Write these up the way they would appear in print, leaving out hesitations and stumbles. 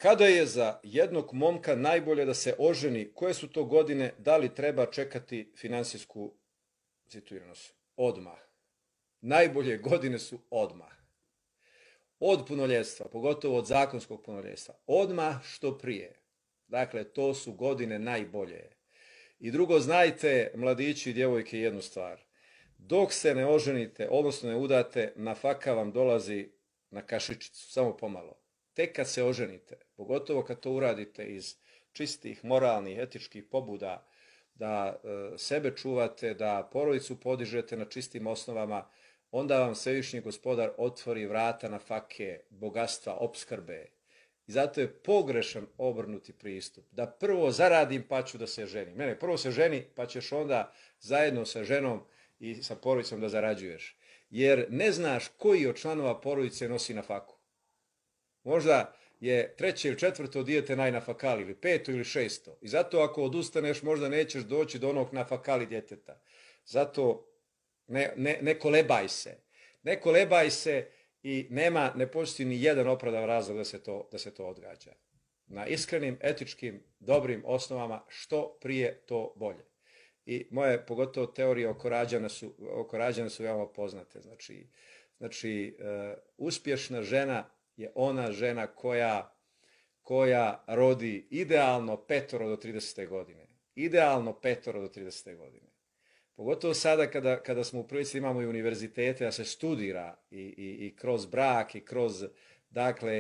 Kada je za jednog momka najbolje da se oženi? Koje su to godine? Da li treba čekati finansijsku situiranost? Odmah. Najbolje godine su odmah. Od punoljetstva, pogotovo od zakonskog punoljetstva. Odmah što prije. Dakle, to su godine najbolje. I drugo, znajte, mladići i djevojke, jednu stvar. Dok se ne oženite, odnosno ne udate, nafaka vam dolazi na kašičicu, samo pomalo. Tek kad se oženite, pogotovo kad to uradite iz čistih, moralnih, etičkih pobuda, da sebe čuvate, da porodicu podižete na čistim osnovama, onda vam Svevišnji Gospodar otvori vrata nafake, bogatstva, opskrbe. I zato je pogrešan obrnuti pristup. Da prvo zaradim pa ću da se ženim. Ne, prvo se ženi pa ćeš onda zajedno sa ženom i sa porodicom da zarađuješ. Jer ne znaš koji od članova porodice nosi nafaku. Možda je treće ili četvrto dijete najnafakali, ili peto ili šesto. I zato ako odustaneš možda nećeš doći do onog nafakali djeteta. Zato ne kolebaj se. Ne kolebaj se i ne postoji ni jedan opravdan razlog da se to odgađa. Na iskrenim, etičkim, dobrim osnovama što prije to bolje. I moje pogotovo teorije oko rađanja su veoma poznate. Znači, uspješna žena je ona žena koja rodi idealno 5 do 30. godine. Idealno 5 do 30. godine. Pogotovo sada kada smo u prilici imamo i univerzitete da se studira i kroz brak i kroz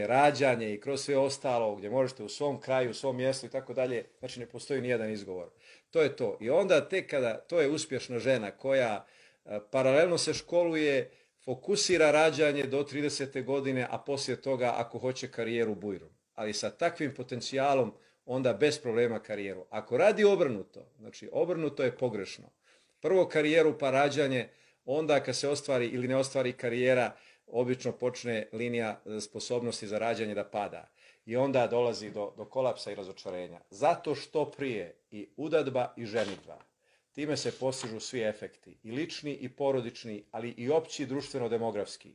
rađanje i kroz sve ostalo gdje možete u svom kraju, u svom mjestu i tako dalje, znači ne postoji nijedan izgovor. To je to. I onda tek kada to je uspješna žena koja paralelno se školuje, fokusira rađanje do 30. godine, a poslije toga ako hoće karijeru bujru. Ali sa takvim potencijalom onda bez problema karijeru. Ako radi obrnuto, znači obrnuto je pogrešno. Prvo karijeru pa rađanje, onda kad se ostvari ili ne ostvari karijera, obično počne linija sposobnosti za rađanje da pada. I onda dolazi do kolapsa i razočarenja. Zato što prije i udadba i ženidba. Time se postižu svi efekti, i lični i porodični, ali i opći društveno-demografski.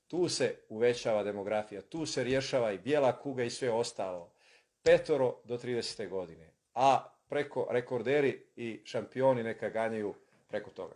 Tu se uvećava demografija, tu se rješava i bijela kuga i sve ostalo. 5 do 30. godine. A preko rekorderi i šampioni neka ganjaju preko toga.